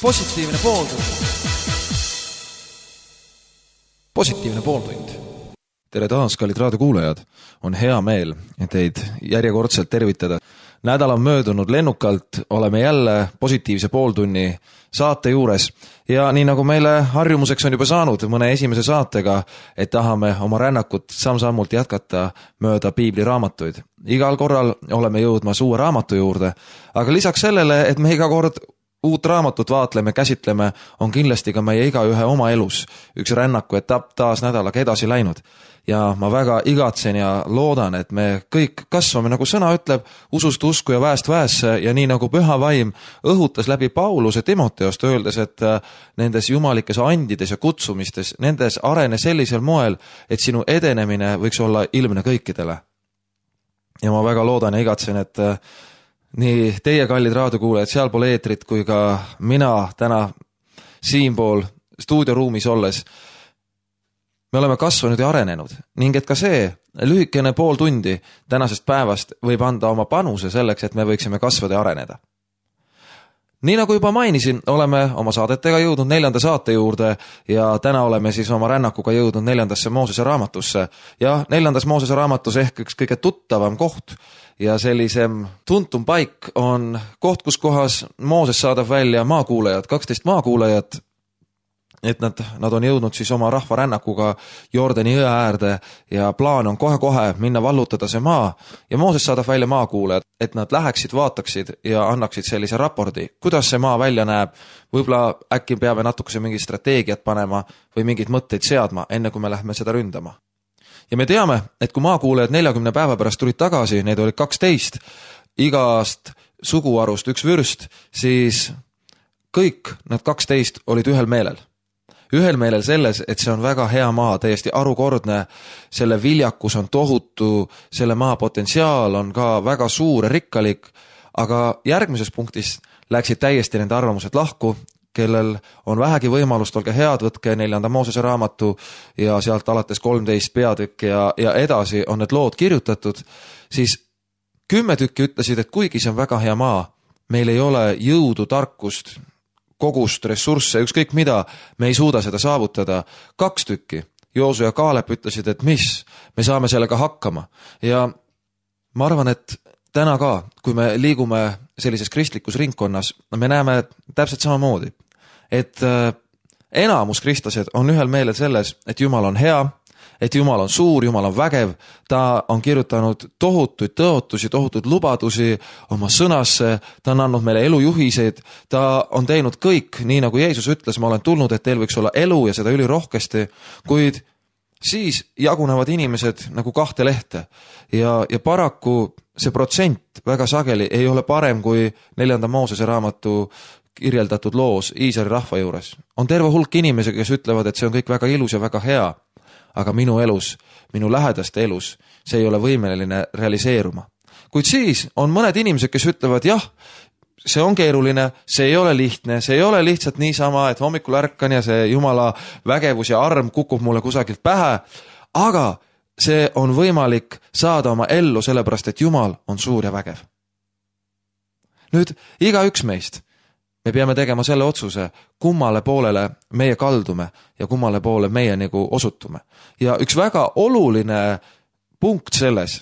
positiivne pooltund. Positiivne pooltund. Tere taas, kallid raadiokuulajad. On hea meel teid järjekordselt tervitada. Nädal on möödunud lennukalt, oleme jälle positiivse pooltunni saate juures ja nii nagu meile harjumuseks on juba saanud mõne esimese saatega, et tahame oma rännakut samm-sammult jätkata mööda piibliraamatuid. Igal korral oleme jõudmas uue raamatu juurde, aga lisaks sellele, et me iga kord uut raamatut vaatleme, käsitleme, on kindlasti ka meie igaühe oma elus üks rännaku etapp taas nädalaga edasi läinud. Ja ma väga igatsen ja loodan, et me kõik kasvame, nagu sõna ütleb, usust usku ja väest väesse ja nii nagu püha vaim õhutas läbi Pauluse Timoteost öeldes, et nendes jumalikes andides ja kutsumistes, nendes arene sellisel moel, et sinu edenemine võiks olla ilmne kõikidele. Ja ma väga loodan ja igatsen, et nii teie kallid raadiokuulajad sealpool eetrit kui ka mina täna siinpool stuudioruumis olles me oleme kasvanud ja arenenud ning et ka see lühikene pool tundi tänasest päevast võib anda oma panuse selleks, et me võiksime kasvada ja areneda. Nii nagu juba mainisin, oleme oma saadetega jõudnud 4. saate juurde ja täna oleme siis oma rännakuga jõudnud 4. Moosese raamatusse ja 4. Moosese raamatus ehk üks kõige tuttavam koht ja sellisem tuntum paik on koht, kus kohas Mooses saadab välja maakuulajad, 12 maakuulajat, et nad on jõudnud siis oma rahva rännakuga Jordani jõe äärde ja plaan on kohe-kohe minna vallutada see maa ja Mooses saadab välja maakuulajad, et nad läheksid, vaataksid ja annaksid sellise raporti, kuidas see maa välja näeb, võib-olla äkki peame natukese mingi strateegiat panema või mingeid mõtteid seadma, enne kui me lähme seda ründama. Ja me teame, et kui maakuulajad 40 päeva pärast tulid tagasi, neid oli 12, igast suguarust üks vürst, siis kõik nad 12 olid ühel meelel. Ühel meelel selles, et see on väga hea maa, täiesti arukordne, selle viljakus on tohutu, selle maa potentsiaal on ka väga suur ja rikkalik, aga järgmises punktis läksid täiesti nende arvamused lahku, kellel on vähegi võimalust, olge head, võtke 4. Moosese raamatu ja sealt alates 13 peatükki ja edasi on need lood kirjutatud, siis 10 tükki ütlesid, et kuigi see on väga hea maa, meil ei ole jõudu, tarkust, kogust, ressursse, ükskõik mida, me ei suuda seda saavutada. 2 tükki, Joosu ja Kaalep ütlesid, et mis, me saame sellega hakkama. Ja ma arvan, et täna ka, kui me liigume sellises kristlikus ringkonnas, me näeme täpselt samamoodi, et enamus kristlased on ühel meelel selles, et Jumal on hea, et Jumal on suur, Jumal on vägev, ta on kirjutanud tohutuid tõotusi, tohutuid lubadusi oma sõnasse, ta on andnud meile elujuhiseid, ta on teinud kõik, nii nagu Jeesus ütles, ma olen tulnud, et teil võiks olla elu ja seda ülirohkesti, kuid siis jagunevad inimesed nagu 2 lehte ja paraku see protsent väga sageli ei ole parem kui 4. Moosese raamatu kirjeldatud loos Iisraeli rahva juures. On terve hulk inimesi, kes ütlevad, et see on kõik väga ilus ja väga hea, aga minu elus, minu lähedaste elus, see ei ole võimeline realiseeruma. Kuid siis on mõned inimesed, kes ütlevad, jah, see on keeruline, see ei ole lihtne, see ei ole lihtsalt niisama, et hommikul ärkan ja see Jumala vägevus ja arm kukub mulle kusagilt pähe, aga see on võimalik saada oma ellu sellepärast, et Jumal on suur ja vägev. Nüüd, igaüks meist, me peame tegema selle otsuse, kummale poolele meie kaldume ja kummale poole meie nagu osutume. Ja üks väga oluline punkt selles,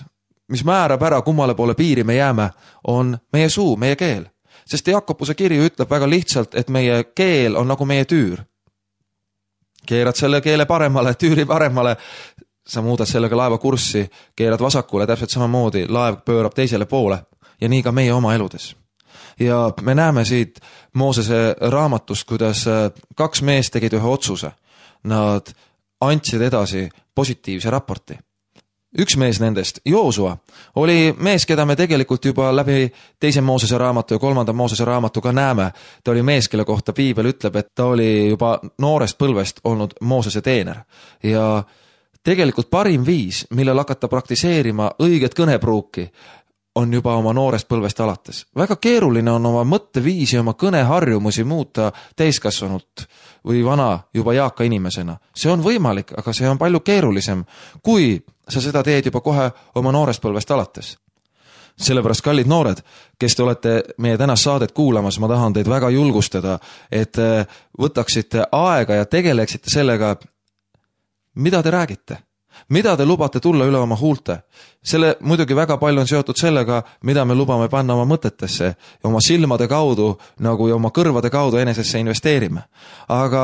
mis määrab ära, kummale poole piiri me jääme, on meie suu, meie keel. Sest Jakobuse kiri ütleb väga lihtsalt, et meie keel on nagu meie tüür. Keerad selle keele paremale, tüüri paremale, sa muudad sellega laeva kurssi, keerad vasakule, täpselt samamoodi, laev pöörab teisele poole ja nii ka meie oma eludes. Ja me näeme siit Moosese raamatust, kuidas 2 meest tegid ühe otsuse. Nad andsid edasi positiivse raporti. Üks mees nendest, Joosua, oli mees, keda me tegelikult juba läbi 2. Moosese raamatu ja 3. Moosese raamatu ka näeme. Ta oli mees, kelle kohta Piibel ütleb, et ta oli juba noorest põlvest olnud Moosese teener. Ja tegelikult parim viis, millel hakata praktiseerima õiget kõnepruuki, on juba oma noorest põlvest alates. Väga keeruline on oma mõtteviisi, oma kõneharjumusi muuta täiskasvanult või vana juba jaaka inimesena. See on võimalik, aga see on palju keerulisem, kui sa seda teed juba kohe oma noorest põlvest alates. sellepärast, kallid noored, kes te olete meie tänast saadet kuulamas, ma tahan teid väga julgustada, et võtaksite aega ja tegeleksite sellega, mida te räägite. Mida te lubate tulla üle oma huulte? Selle muidugi väga palju on seotud sellega, mida me lubame panna oma mõtetesse ja oma silmade kaudu nagu ja oma kõrvade kaudu enesesse investeerime. Aga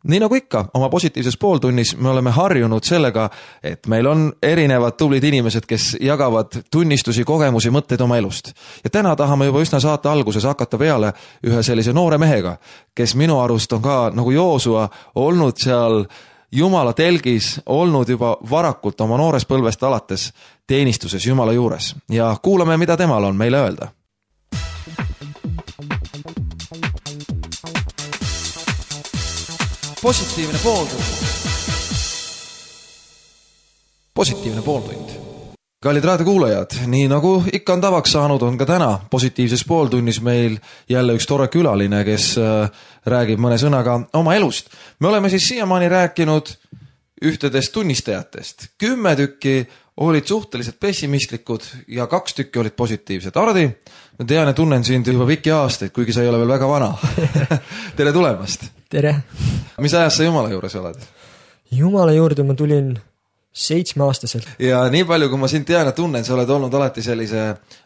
nii nagu ikka, oma positiivses pooltunnis me oleme harjunud sellega, et meil on erinevad tublid inimesed, kes jagavad tunnistusi, kogemusi, mõtteid oma elust. Ja täna tahame juba üsna saate alguses hakata peale ühe sellise noore mehega, kes minu arust on ka nagu Joosua olnud seal Jumala telgis, olnud juba varakult oma noores põlvest alates teenistuses Jumala juures. Ja kuulame, mida temal on meile öelda. Positiivne pooltund. Positiivne pooltund. Kallid raadiokuulajad, nii nagu ikka on tavaks saanud, on ka täna positiivses pooltunnis meil jälle üks tore külaline, kes räägib mõne sõnaga oma elust. Me oleme siis siiamaani rääkinud ühtedest tunnistajatest. 10 tükki olid suhteliselt pessimistlikud ja 2 tükki olid positiivsed. Ardi, ma tean ja tunnen sind juba pikki aastaid, kuigi sa ei ole veel väga vana. Tere tulemast! Tere! Mis ajast sa Jumala juures oled? Jumala juurde ma tulin 7-aastaselt. Ja nii palju, kui ma sind tean ja tunnen, sa oled olnud alati sellise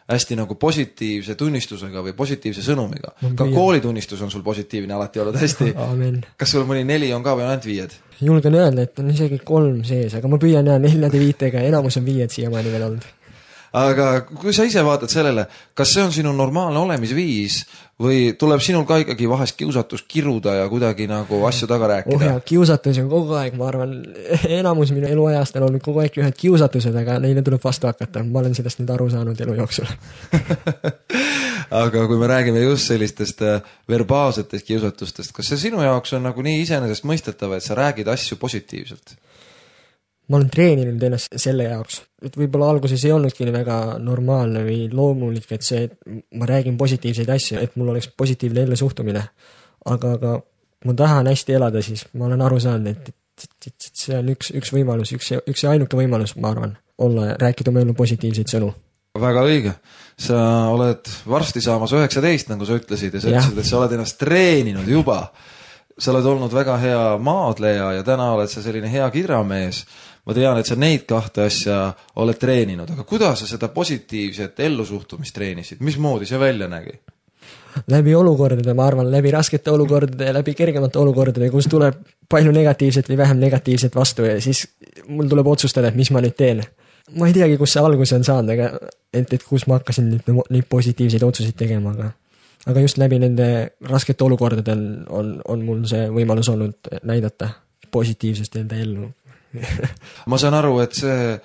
hästi nagu positiivse tunnistusega või positiivse sõnumiga. Ka koolitunnistus on sul positiivne alati olnud hästi. Amen. Kas sul mõni 4 on ka või on ainult 5? Julgen öelda, et on isegi 3 sees, aga ma püüan 4-5-ga, enamus on 5 siiamaani veel olnud. Aga kui sa ise vaatad sellele, kas see on sinu normaalne olemisviis või tuleb sinul ka ikkagi vahest kiusatus kiruda ja kuidagi nagu asju taga rääkida? Kiusatus on kogu aeg, ma arvan, enamus minu eluajast on olnud kogu aeg ühed kiusatused, aga neile tuleb vastu hakata. Ma olen sellest nüüd aru saanud elu jooksul. Aga kui me räägime just sellistest verbaalsetest kiusatustest, kas see sinu jaoks on nagu nii iseenesest mõistetav, et sa räägid asju positiivselt? Ma olen treeninud ennast selle jaoks, et võib-olla alguses ei olnudki väga normaalne või loomulik, et see, et ma räägin positiivseid asju, et mul oleks positiivne ellu suhtumine. Aga ma tahan hästi elada, siis ma olen aru saanud, et see on üks võimalus, üks ainuke võimalus, ma arvan, rääkida oma ellu positiivseid sõnu. Väga õige. Sa oled varsti saamas 19, nagu sa ütlesid, ja sa ütlesid, et sa oled ennast treeninud juba. Sa oled olnud väga hea maadleja ja täna oled sa selline hea kidramees. Ma tean, et sa neid 2 asja oled treeninud, aga kuidas sa seda positiivset ellusuhtumist treenisid? Mismoodi see välja nägi? Läbi olukordade, ma arvan, läbi raskete olukordade ja läbi kergemate olukordade, kus tuleb palju negatiivset või vähem negatiivset vastu ja siis mul tuleb otsustada, et mis ma nüüd teen. Ma ei teagi, kus see alguse on saanud, aga et kus ma hakkasin neid positiivseid otsuseid tegema, aga just läbi nende raskete olukordade on mul see võimalus olnud näidata positiivsust enda ellu. Ma saan aru, et see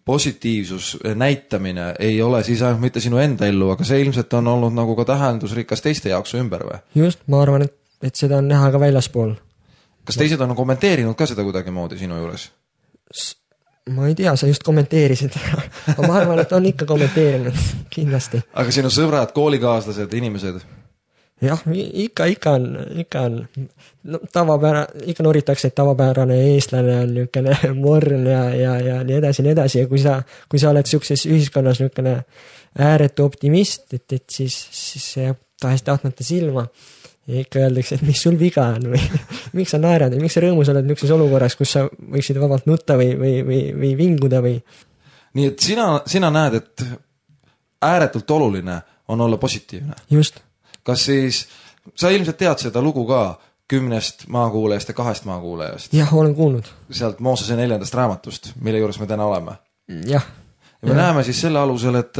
positiivsus näitamine ei ole siis ainult mitte sinu enda ellu, aga see ilmselt on olnud nagu ka tähendusrikas teiste jaoks ümber või? Just, ma arvan, et seda on näha ka väljaspool. Kas teised on kommenteerinud ka seda kuidagi moodi sinu juures? Ma ei tea, sa just kommenteerisid. Ma arvan, et on ikka kommenteerinud, kindlasti. Aga sinu sõbrad, koolikaaslased, inimesed? Jah, ikka on ikka noritakse, et tavapärane eestlane on niukene morn ja nii edasi ja kui sa oled siukses ühiskonnas niukene ääretu optimist, et siis see tahest tahtmata silma ja ikka öeldakse, et mis sul viga on või miks sa naerad või miks sa rõõmus oled niukses olukorras, kus sa võiksid vabalt nutta või vinguda või. Nii et sina näed, et ääretult oluline on olla positiivne. Just. Kas siis, sa ilmselt tead seda lugu ka 10 maakuulajast ja 2 maakuulajast? Jah, olen kuulnud. Sealt Moosese 4. raamatust, mille juures me täna oleme. Jah. Ja me näeme siis selle alusel, et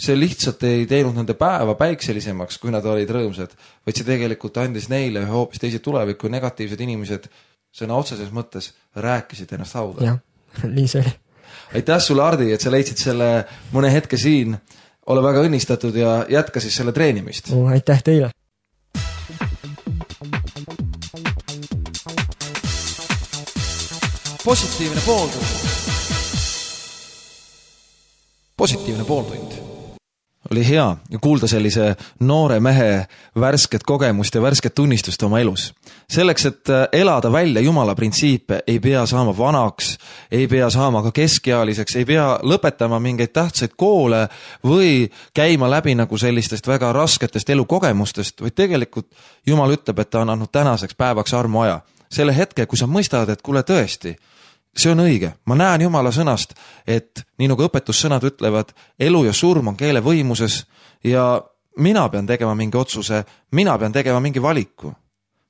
see lihtsalt ei teinud nende päeva päikselisemaks, kui nad olid rõõmsad, vaid see tegelikult andis neile hoopis teisi tulevikku ja negatiivsed inimesed sõna otseses mõttes rääkisid ennast hauda. Jah, nii see oli. Aitäh sulle, Ardi, et sa leidsid selle mõne hetke siin. Ole väga õnnistatud ja jätka siis selle treenimist. Aitäh teile. Positiivne pooltund. Positiivne pooltund. oli hea kuulda sellise noore mehe värsket kogemust ja värsket tunnistust oma elus. Selleks, et elada välja Jumala printsiipe, ei pea saama vanaks, ei pea saama ka keskealiseks, ei pea lõpetama mingeid tähtsaid koole või käima läbi nagu sellistest väga rasketest elukogemustest, vaid tegelikult Jumal ütleb, et ta on andnud tänaseks päevaks armuaja. Selle hetke, kui sa mõistad, et kuule tõesti, see on õige. Ma näen Jumala sõnast, et nii nagu õpetussõnad ütlevad, elu ja surm on keele võimuses ja mina pean tegema mingi otsuse, mina pean tegema mingi valiku.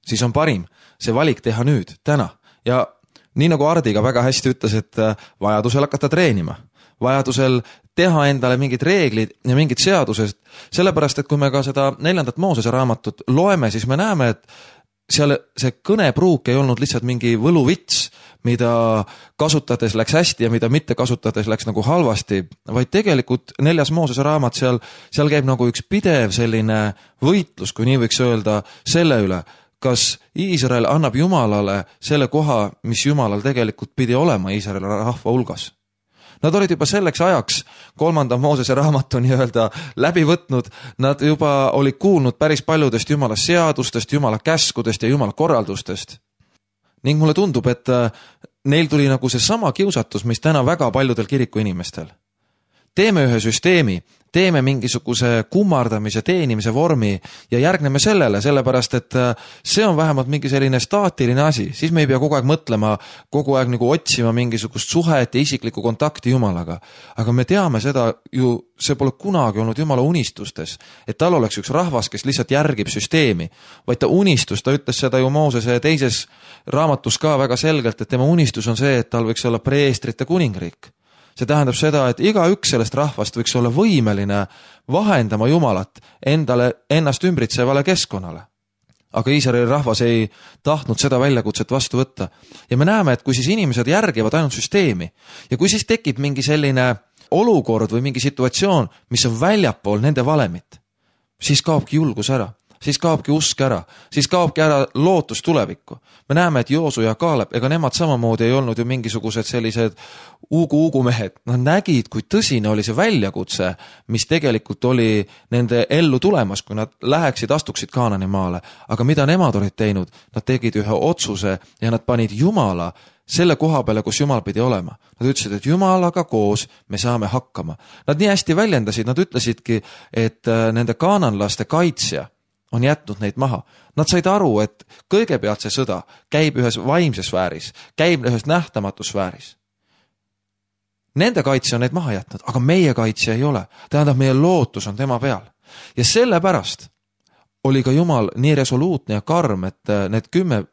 Siis on parim see valik teha nüüd, täna. Ja nii nagu Ardi ka väga hästi ütles, et vajadusel hakata treenima. Vajadusel teha endale mingid reeglid ja mingid seadused. Sellepärast, et kui me ka seda 4. Moosese raamatut loeme, siis me näeme, et seal see kõnepruuk ei olnud lihtsalt mingi võluvits, mida kasutades läks hästi ja mida mitte kasutades läks nagu halvasti, vaid tegelikult 4. Moosese raamat seal käib nagu üks pidev selline võitlus, kui nii võiks öelda, selle üle, kas Iisrael annab Jumalale selle koha, mis Jumalal tegelikult pidi olema Iisraeli rahva hulgas. Nad olid juba selleks ajaks 3. Moosese raamatu nii-öelda läbi võtnud, nad juba olid kuulnud päris paljudest Jumala seadustest, Jumala käskudest ja Jumala korraldustest. Ning mulle tundub, et neil tuli nagu see sama kiusatus, mis täna väga paljudel kiriku inimestel. Teeme ühe süsteemi, teeme mingisuguse kummardamise, teenimise vormi ja järgneme sellele, sellepärast, et see on vähemalt mingi selline staatiline asi, siis me ei pea kogu aeg mõtlema, kogu aeg nagu otsima mingisugust suhet ja isiklikku kontakti Jumalaga. Aga me teame seda ju, see pole kunagi olnud Jumala unistustes, et tal oleks üks rahvas, kes lihtsalt järgib süsteemi, vaid ta unistus, ta ütles seda ju Moosese teises raamatus ka väga selgelt, et tema unistus on see, et tal võiks olla preestrite kuningriik. See tähendab seda, et igaüks sellest rahvast võiks olla võimeline vahendama Jumalat ennast ümbritsevale keskkonnale. Aga Iisraeli rahvas ei tahtnud seda väljakutset vastu võtta. Ja me näeme, et kui siis inimesed järgivad ainult süsteemi ja kui siis tekib mingi selline olukord või mingi situatsioon, mis on väljapool nende valemit, siis kaobki julgus ära. Siis kaobki usk ära, siis kaobki ära lootus tulevikku. Me näeme, et Joosu ja Kaalep, ega nemad samamoodi ei olnud ju mingisugused sellised uugu mehed. Nad nägid, kui tõsine oli see väljakutse, mis tegelikult oli nende ellu tulemas, kui nad läheksid, astuksid Kaanani maale. Aga mida nemad olid teinud? Nad tegid ühe otsuse ja nad panid Jumala selle koha peale, kus Jumal pidi olema. Nad ütlesid, et Jumalaga koos me saame hakkama. Nad nii hästi väljendasid, nad ütlesidki, et nende kaananlaste kaitsja on jätnud neid maha. Nad said aru, et kõigepealt see sõda käib ühes vaimses sfääris, käib ühes nähtamatus sfääris. Nende kaitse on neid maha jätnud, aga meie kaitse ei ole. Tähendab, meie lootus on tema peal. Ja sellepärast oli ka Jumal nii resoluutne ja karm, et need 10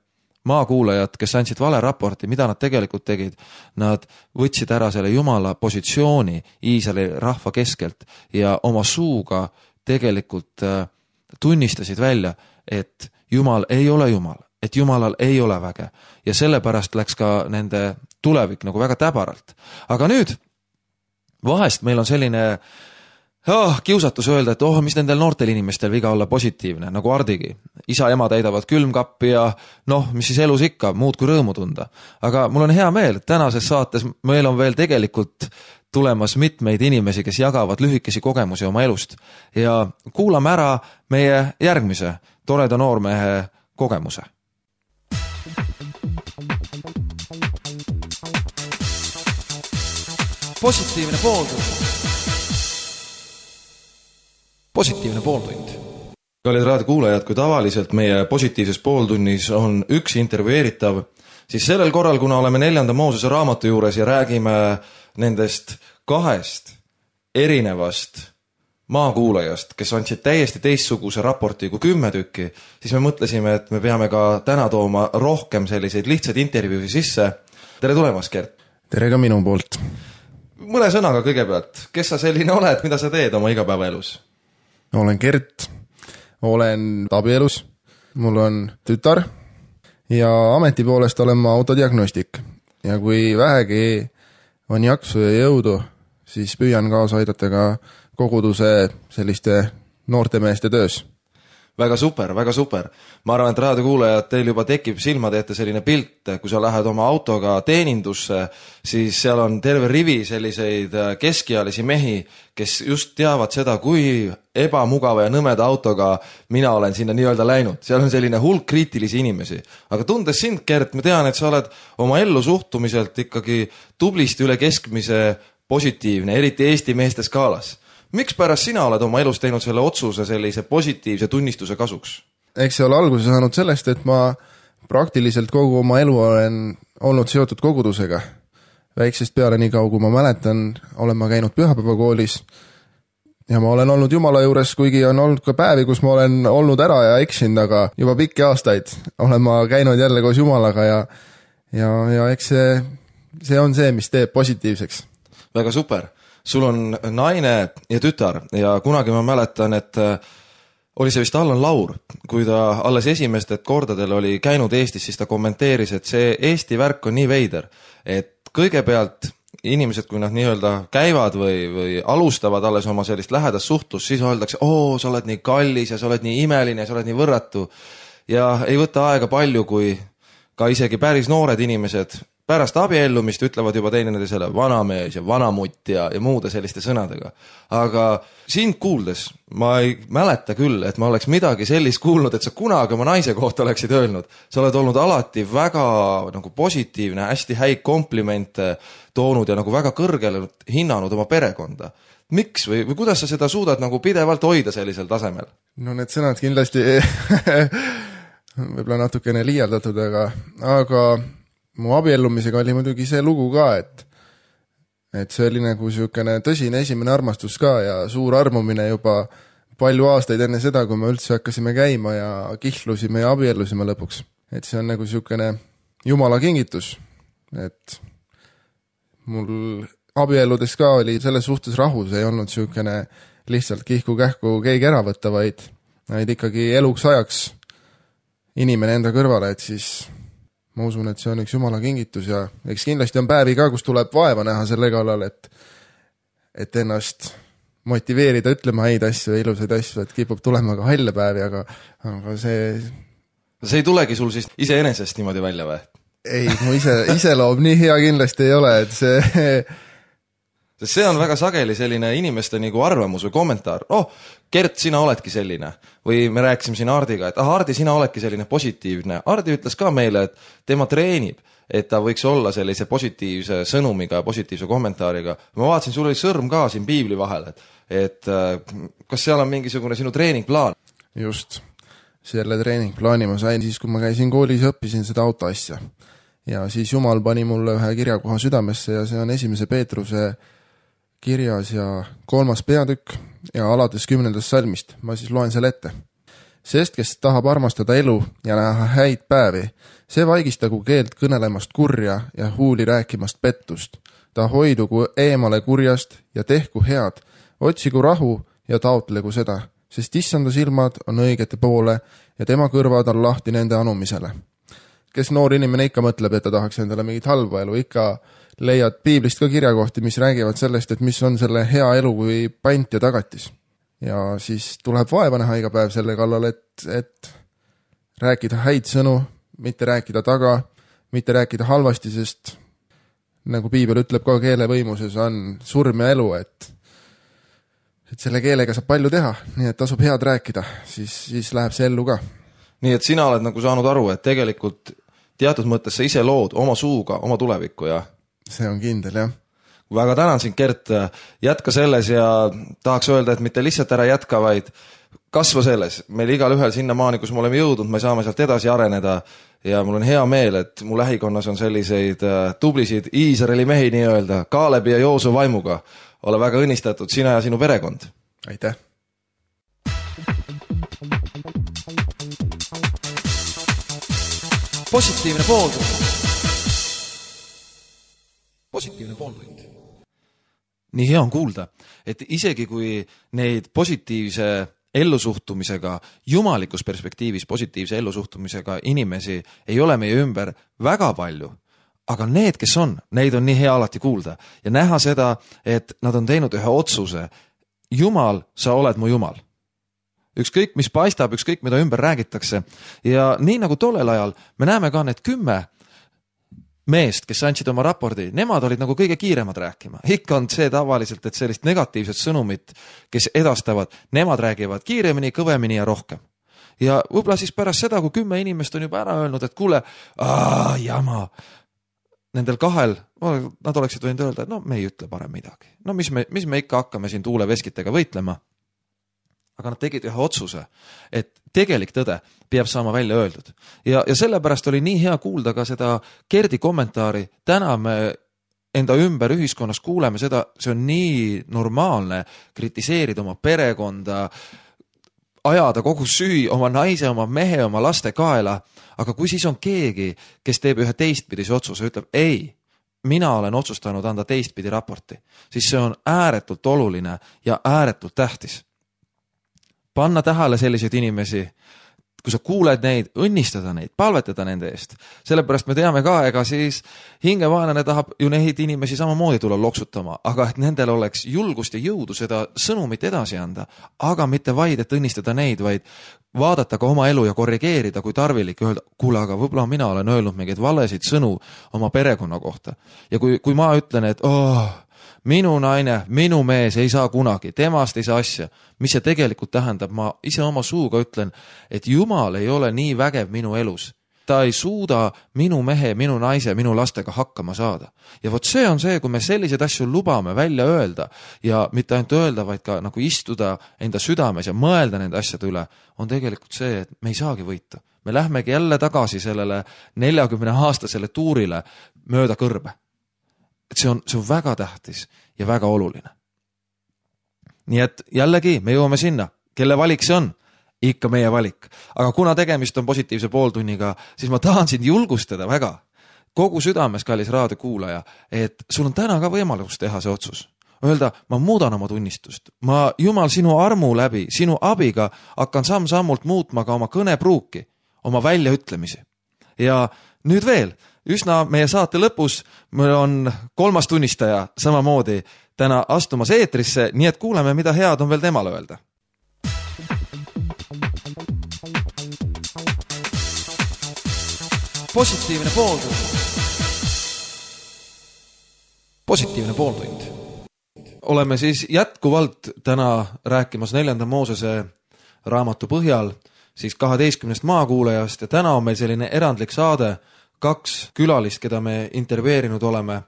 maakuulajad, kes andsid vale raporti, mida nad tegelikult tegid, nad võtsid ära selle Jumala positsiooni Iisraeli rahva keskelt ja oma suuga tegelikult tunnistasid välja, et Jumal ei ole Jumal, et Jumalal ei ole väge ja sellepärast läks ka nende tulevik nagu väga täbaralt. Aga nüüd vahest meil on selline kiusatus öelda, et mis nendel noortel inimestel viga olla positiivne, nagu Ardigi. Isa ja ema täidavad külmkappi ja mis siis elus ikka, muud kui rõõmu tunda. Aga mul on hea meel, et tänases saates meil on veel tegelikult tulemas mitmeid inimesi, kes jagavad lühikesi kogemusi oma elust ja kuulame ära meie järgmise toreda noormehe kogemuse. Positiivne pooltund. Positiivne pooltund. Kallid raadiokuulajad, kui tavaliselt meie positiivses pooltunnis on üks intervjueeritav, siis sellel korral, kuna oleme 4. Moosese raamatu juures ja räägime nendest 2 erinevast maakuulajast, kes andsid täiesti teistsuguse raporti kui 10 tükki, siis me mõtlesime, et me peame ka täna tooma rohkem selliseid lihtsaid intervjuusi sisse. Tere tulemast, Gert! Tere ka minu poolt! Mõne sõnaga kõigepealt, kes sa selline oled, mida sa teed oma igapäevaelus? Olen Gert, olen abielus, mul on tütar ja ameti poolest olen ma autodiagnostik. Ja kui vähegi on jaksu ja jõudu, siis püüan kaasa aidata ka koguduse selliste noorte meeste töös. väga super, väga super. Ma arvan, et raadiokuulajad, teil juba tekib silmade ette selline pilt, kui sa lähed oma autoga teenindusse, siis seal on terve rivi selliseid keskealisi mehi, kes just teavad seda, kui ebamugava ja nõmeda autoga mina olen sinna nii-öelda läinud. Seal on selline hulk kriitilisi inimesi. Aga tundes sind, Gert, ma tean, et sa oled oma ellu suhtumiselt ikkagi tublisti üle keskmise positiivne, eriti Eesti meeste skaalas. Miks pärast sina oled oma elus teinud selle otsuse sellise positiivse tunnistuse kasuks? Eks see ole alguse saanud sellest, et ma praktiliselt kogu oma elu olen olnud seotud kogudusega. Väiksest peale nii kaua, kui ma mäletan, olen ma käinud pühapäevakoolis ja ma olen olnud Jumala juures, kuigi on olnud ka päevi, kus ma olen olnud ära ja eksinud, aga juba pikki aastaid olen ma käinud jälle koos Jumalaga ja eks see on see, mis teeb positiivseks. Väga super. Sul on naine ja tütar ja kunagi ma mäletan, et oli see vist Allan Laur, kui ta alles esimestel kordadel oli käinud Eestis, siis ta kommenteeris, et see Eesti värk on nii veider, et kõigepealt inimesed, kui nad nii-öelda käivad või alustavad alles oma sellist lähedast suhtlust, siis öeldakse, sa oled nii kallis ja sa oled nii imeline ja sa oled nii võrratu ja ei võta aega palju, kui ka isegi päris noored inimesed pärast abiellumist ütlevad juba teineteisele vanamees ja vanamutt ja muude selliste sõnadega. Aga sind kuuldes ma ei mäleta küll, et ma oleks midagi sellist kuulnud, et sa kunagi oma naise kohta oleksid öelnud. Sa oled olnud alati väga nagu positiivne, hästi häid komplimente toonud ja nagu väga kõrgele hinnanud oma perekonda. Miks või kuidas sa seda suudad nagu pidevalt hoida sellisel tasemel? No need sõnad kindlasti võib-olla natukene liialdatud, aga mu abiellumisega oli muidugi see lugu ka, et see oli nagu siukene tõsine esimene armastus ka ja suur armumine juba palju aastaid enne seda, kui me üldse hakkasime käima ja kihlusime ja abiellusime lõpuks. Et see on nagu siukene Jumala kingitus, et mul abielludes ka oli selles suhtes rahus, ei olnud siukene lihtsalt kihku-kähku keegi ära võtta, vaid ikkagi eluks ajaks inimene enda kõrvale, et siis ma usun, et see on üks Jumala kingitus ja eks kindlasti on päevi ka, kus tuleb vaeva näha selle kallal, et ennast motiveerida ütlema häid asju ja ilusaid asju, et kipub tulema ka halle päevi, aga see ei tulegi sul siis iseenesest niimoodi välja või? Ei, mu iseloom nii hea kindlasti ei ole, et see on väga sageli selline inimeste nagu arvamus või kommentaar. Gert, sina oledki selline. Või me rääkisime siin Hardiga, et Hardi, sina oledki selline positiivne. Hardi ütles ka meile, et tema treenib, et ta võiks olla sellise positiivse sõnumiga ja positiivse kommentaariga. Ma vaatasin, sul oli sõrm ka siin piibli vahel, et kas seal on mingisugune sinu treeningplaan? Just. Selle treeningplaani ma sain siis, kui ma käisin koolis ja õppisin seda autoasja. Ja siis Jumal pani mulle ühe kirjakoha südamesse ja see on 1. Peetruse kirjas ja 3. peatükk ja alates 10. salmist. Ma siis loen selle ette. Sest, kes tahab armastada elu ja näha häid päevi, see vaigistagu keelt kõnelemast kurja ja huuli rääkimast pettust. Ta hoidugu eemale kurjast ja tehku head, otsigu rahu ja taotlegu seda, sest issanda silmad on õigete poole ja tema kõrvad on lahti nende anumisele. Kes noor inimene ikka mõtleb, et ta tahaks endale mingit halba elu, ikka leiad piiblist ka kirjakohti, mis räägivad sellest, et mis on selle hea elu kui pant ja tagatis. Ja siis tuleb vaeva näha iga päev selle kallal, et rääkida häid sõnu, mitte rääkida taga, mitte rääkida halvasti, sest nagu piibel ütleb ka keelevõimuses on surm ja elu, et selle keelega saab palju teha, nii et tasub head rääkida, siis läheb see ellu ka. Nii et sina oled nagu saanud aru, et tegelikult teatud mõttes sa ise lood oma suuga oma tulevikku ja see on kindel, jah. Väga tänan sind, Gert, jätka selles ja tahaks öelda, et mitte lihtsalt ära jätka, vaid kasva selles. Meil igal ühel sinnamaani, kus me oleme jõudnud, me saame sealt edasi areneda ja mul on hea meel, et mu lähikonnas on selliseid tublisid Iisraeli mehi nii-öelda, Kaalebi ja Joosu vaimuga. Ole väga õnnistatud, sina ja sinu perekond. Aitäh! Positiivne pooltund. Positiivne pooltund. Nii hea on kuulda, et isegi kui neid positiivse ellusuhtumisega, jumalikus perspektiivis positiivse ellusuhtumisega inimesi ei ole meie ümber väga palju, aga need, kes on, neid on nii hea alati kuulda ja näha seda, et nad on teinud ühe otsuse. Jumal, sa oled mu Jumal. ükskõik mis paistab, ükskõik mida ümber räägitakse. Ja nii nagu tollel ajal me näeme ka need 10 meest, kes andsid oma raporti, nemad olid nagu kõige kiiremad rääkima. Ikka on see tavaliselt, et sellist negatiivset sõnumit, kes edastavad, nemad räägivad kiiremini, kõvemini ja rohkem. Ja võib-olla siis pärast seda, kui 10 inimest on juba ära öelnud, et kuule, jama, nendel 2, nad oleksid võinud öelda, et no me ei ütle parem midagi. No mis me ikka hakkame siin tuuleveskitega võitlema. Aga nad tegid ühe otsuse, et tegelik tõde peab saama välja öeldud. Ja sellepärast oli nii hea kuulda ka seda Gerdi kommentaari. Täna me enda ümber ühiskonnas kuuleme seda, see on nii normaalne kritiseerida oma perekonda, ajada kogu süü oma naise, oma mehe, oma laste kaela. Aga kui siis on keegi, kes teeb ühe teistpidise otsuse, ütleb ei, mina olen otsustanud anda teistpidi raporti, siis see on ääretult oluline ja ääretult tähtis. Panna tähele selliseid inimesi, kui sa kuuled neid, õnnistada neid, palvetada nende eest. Sellepärast me teame ka, ega siis hingevaenlane tahab ju neid inimesi samamoodi tulla loksutama, aga et nendel oleks julgust ja jõudu seda sõnumit edasi anda, aga mitte vaid, et õnnistada neid, vaid vaadata ka oma elu ja korrigeerida, kui tarvilik öelda, kuule, aga võib-olla mina olen öelnud mingeid valesid sõnu oma perekonna kohta. Ja kui ma ütlen, et minu naine, minu mees ei saa kunagi, temast ei saa asja. Mis see tegelikult tähendab? Ma ise oma suuga ütlen, et Jumal ei ole nii vägev minu elus. Ta ei suuda minu mehe, minu naise, minu lastega hakkama saada. Ja vot see on see, kui me selliseid asju lubame välja öelda ja mitte ainult öelda, vaid ka nagu istuda enda südames ja mõelda nende asjade üle, on tegelikult see, et me ei saagi võita. Me lähmegi jälle tagasi sellele 40-aastasele tuurile mööda kõrbe. Et see on väga tähtis ja väga oluline. Nii et jällegi me jõuame sinna, kelle valik see on? Ikka meie valik. Aga kuna tegemist on positiivse pooltunniga, siis ma tahan sind julgustada väga. Kogu südames, kallis raadiokuulaja, et sul on täna ka võimalus teha see otsus. Öelda, ma muudan oma tunnistust. Ma Jumal sinu armu läbi, sinu abiga hakkan samm-sammult muutma ka oma kõnepruuki, oma väljaütlemisi. Ja nüüd veel, üsna meie saate lõpus meil on 3. tunnistaja samamoodi täna astumas eetrisse, nii et kuuleme, mida head on veel temale öelda. Positiivne pooltund. Positiivne pooltund. Oleme siis jätkuvalt täna rääkimas 4. Moosese raamatu põhjal siis 12 maakuulajast ja täna on meil selline erandlik saade. 2 külalist, keda me intervjueerinud oleme,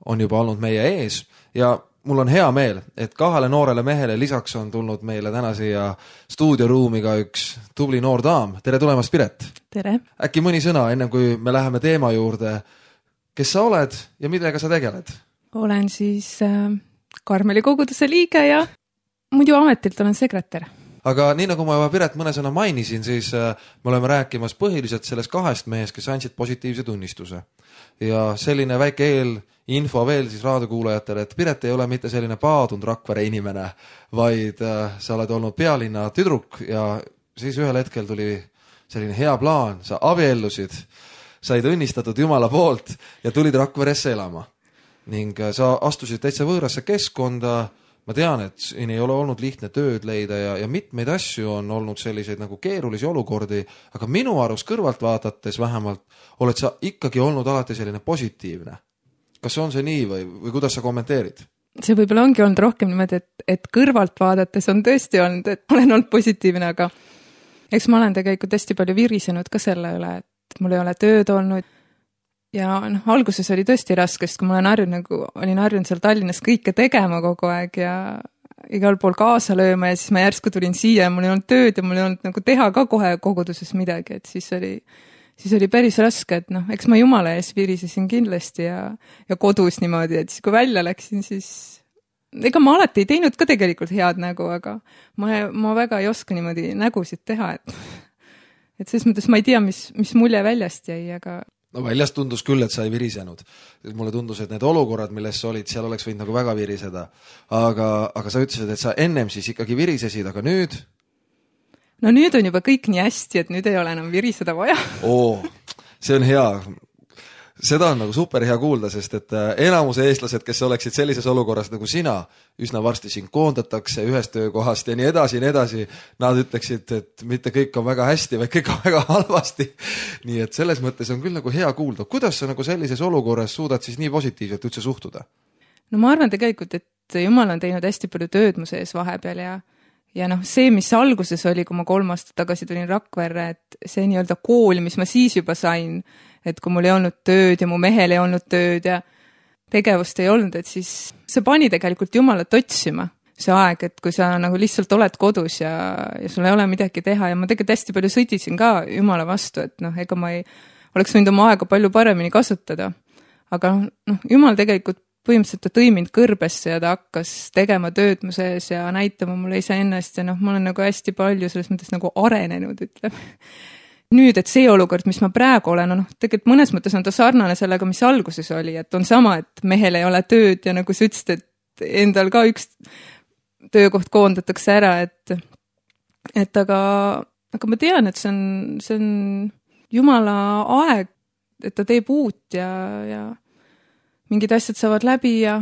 on juba olnud meie ees ja mul on hea meel, et 2 noorele mehele lisaks on tulnud meile täna siia stuudioruumi ka üks tubli noor daam. Tere tulemast, Piret! Tere! Äkki mõni sõna, enne kui me läheme teema juurde. Kes sa oled ja millega sa tegeled? Olen siis Karmeli koguduse liige ja muidu ametilt olen sekretär. Aga nii nagu ma juba Piret mõne sõna mainisin, siis me oleme rääkimas põhiliselt sellest 2 mehest, kes andsid positiivse tunnistuse. Ja selline väike info veel siis raadiokuulajatele, et Piret ei ole mitte selline paadunud Rakvere inimene, vaid sa oled olnud pealinna tüdruk ja siis ühel hetkel tuli selline hea plaan, sa abiellusid, said õnnistatud Jumala poolt ja tulid Rakveresse elama. Ning sa astusid täitsa võõrasse keskkonda. Ma tean, et siin ei ole olnud lihtne tööd leida ja mitmeid asju on olnud selliseid nagu keerulisi olukordi, aga minu arust kõrvalt vaadates vähemalt oled sa ikkagi olnud alati selline positiivne. Kas on see nii või kuidas sa kommenteerid? See võib-olla ongi olnud rohkem niimoodi, et kõrvalt vaadates on tõesti olnud, et olen olnud positiivne, aga eks ma olen tegelikult hästi palju virisenud ka selle üle, et mul ei ole tööd olnud. Ja alguses oli tõesti raske, sest kui ma olin harjunud seal Tallinnas kõike tegema kogu aeg ja igal pool kaasa lööma ja siis ma järsku tulin siia ja mul ei olnud tööd ja mul ei olnud nagu teha ka kohe koguduses midagi, et siis oli päris raske, et eks ma Jumala ees virisesin kindlasti ja kodus niimoodi, et siis kui välja läksin, siis ega ma alati ei teinud ka tegelikult head nägu, aga ma väga ei oska niimoodi nägusid teha, et selles mõttes ma ei tea, mis mulje väljast jäi, aga no väljast tundus küll, et sa ei virisenud. Mulle tundus, et need olukorrad, milles sa olid, seal oleks võinud nagu väga viriseda. Aga sa ütlesid, et sa ennem siis ikkagi virisesid, aga nüüd? No nüüd on juba kõik nii hästi, et nüüd ei ole enam viriseda vaja. See on hea. seda on nagu super hea kuulda, sest et enamuse eestlased, kes oleksid sellises olukorras nagu sina, üsna varsti sind koondatakse ühest töökohast ja nii edasi, nad ütleksid, et mitte kõik on väga hästi, vaid kõik on väga halvasti. Nii et selles mõttes on küll nagu hea kuulda. Kuidas sa nagu sellises olukorras suudad siis nii positiivselt üldse suhtuda? No ma arvan tegelikult, et Jumal on teinud hästi palju tööd mu sees vahepeal ja noh, see, mis alguses oli, kui ma 3 aastat tagasi tulin Rakverre, et see nii-öelda kool, mis ma siis juba sain, et kui mul ei olnud tööd ja mu mehel ei olnud tööd ja tegevust ei olnud, et siis see pani tegelikult Jumalat otsima see aeg, et kui sa nagu lihtsalt oled kodus ja sul ei ole midagi teha ja ma tegelikult hästi palju sõdisin ka Jumala vastu, et noh, ega ma ei oleks võinud oma aega palju paremini kasutada. Aga noh, Jumal tegelikult põhimõtteliselt ta tõi mind kõrbesse ja ta hakkas tegema tööd mu sees ja näitama mulle iseennast ja noh, ma olen nagu hästi palju selles mõttes nagu arenenud, ütleme. Nüüd, et see olukord, mis ma praegu olen, noh, tegelikult mõnes mõttes on ta sarnane sellega, mis alguses oli, et on sama, et mehel ei ole tööd ja nagu sa ütlesid, et endal ka üks töökoht koondatakse ära, et aga ma tean, et see on Jumala aeg, et ta teeb uut ja mingid asjad saavad läbi ja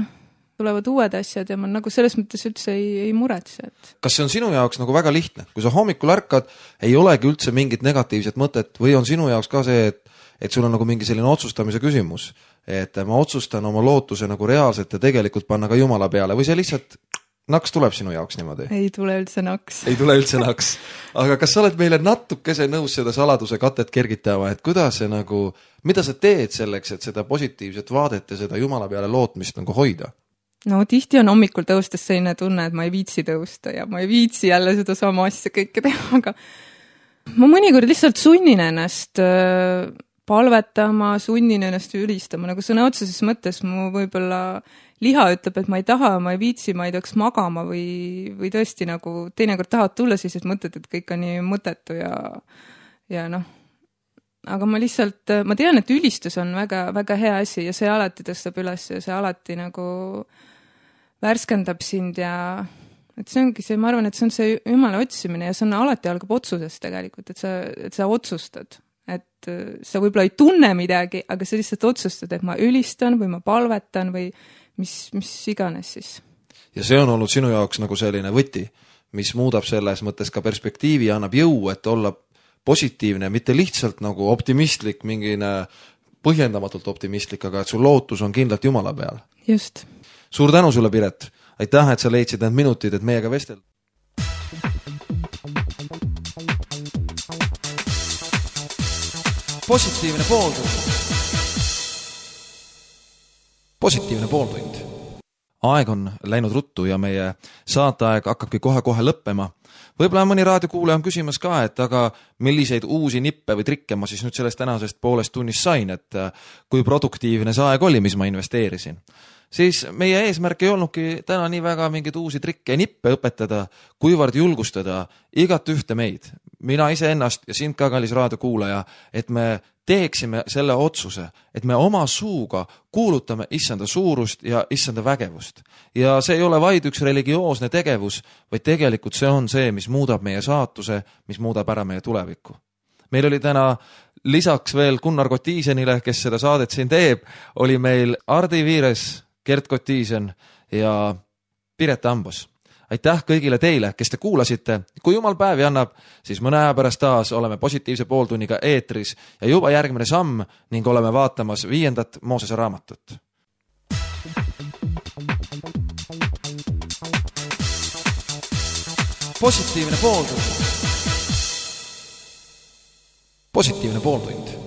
tulevad uued asjad ja ma nagu selles mõttes üldse ei muretse. Kas see on sinu jaoks nagu väga lihtne? Kui sa hommikul ärkad, ei olegi üldse mingit negatiivset mõtet või on sinu jaoks ka see, et sul on nagu mingi selline otsustamise küsimus, et ma otsustan oma lootuse nagu reaalselt ja tegelikult panna ka Jumala peale või see lihtsalt naks tuleb sinu jaoks niimoodi? Ei tule üldse naks. Ei tule üldse naks. Aga kas sa oled meile natukese nõus seda saladuse katet kergitama, et kuidas see nagu, mida sa teed selleks, et seda positiivset vaadet ja seda Jumala peale lootmist nagu hoida? No tihti on hommikul tõustes selline tunne, et ma ei viitsi tõusta ja ma ei viitsi jälle seda sama asja kõike teha, aga ma mõnikord lihtsalt sunnin ennast palvetama, sunnin ennast ülistama, nagu sõna otseses mõttes mu võib-olla liha ütleb, et ma ei taha, ma ei viitsi, ma ei tahaks magama või tõesti nagu teinekord tahad tulla sellised mõtted, et kõik on nii mõttetu ja noh, aga ma tean, et ülistus on väga, väga hea asi ja see alati tõstab üles ja see alati nagu värskendab sind ja et see ongi see, ma arvan, et see on see Jumala otsimine ja see on alati algab otsusest tegelikult, et sa otsustad. Et sa võib-olla ei tunne midagi, aga sa lihtsalt otsustad, et ma ülistan või ma palvetan või mis iganes siis. Ja see on olnud sinu jaoks nagu selline võti, mis muudab selles mõttes ka perspektiivi ja annab jõu, et olla positiivne, mitte lihtsalt nagu optimistlik, mingine põhjendamatult optimistlik, aga et sul lootus on kindlalt Jumala peal. Just. Suur tänu sulle, Piret. Aitäh, et sa leidsid need minutid, et meiega vestelda. Positiivne pooltund. Positiivne pooltund. Aeg on läinud ruttu ja meie saateaeg hakkabki kohe-kohe lõppema. Võib-olla mõni raadiokuulaja on küsimas ka, et aga milliseid uusi nippe või trikke ma siis nüüd sellest tänasest poolest tunnist sain, et kui produktiivne see aeg oli, mis ma investeerisin. Siis meie eesmärk ei olnudki täna nii väga mingeid uusi trikke ja nippe õpetada, kuivõrd julgustada igat ühte meid, mina ise ennast ja sind ka, kallis raadiokuulaja, et me teeksime selle otsuse, et me oma suuga kuulutame issanda suurust ja issanda vägevust. Ja see ei ole vaid üks religioosne tegevus, vaid tegelikult see on see, mis muudab meie saatuse, mis muudab ära meie tulevikku. Meil oli täna lisaks veel Gunnar Kotiisenile, kes seda saadet siin teeb, oli meil Ardi Viires, Gert Kotiisen ja Piret Ambos. Aitäh kõigile teile, kes te kuulasite. Kui Jumal päevi annab, siis mõne aja pärast taas oleme positiivse pooltunniga eetris ja juba järgmine samm ning oleme vaatamas 5. Moosese raamatut. Positiivne pooltund. Positiivne pooltund.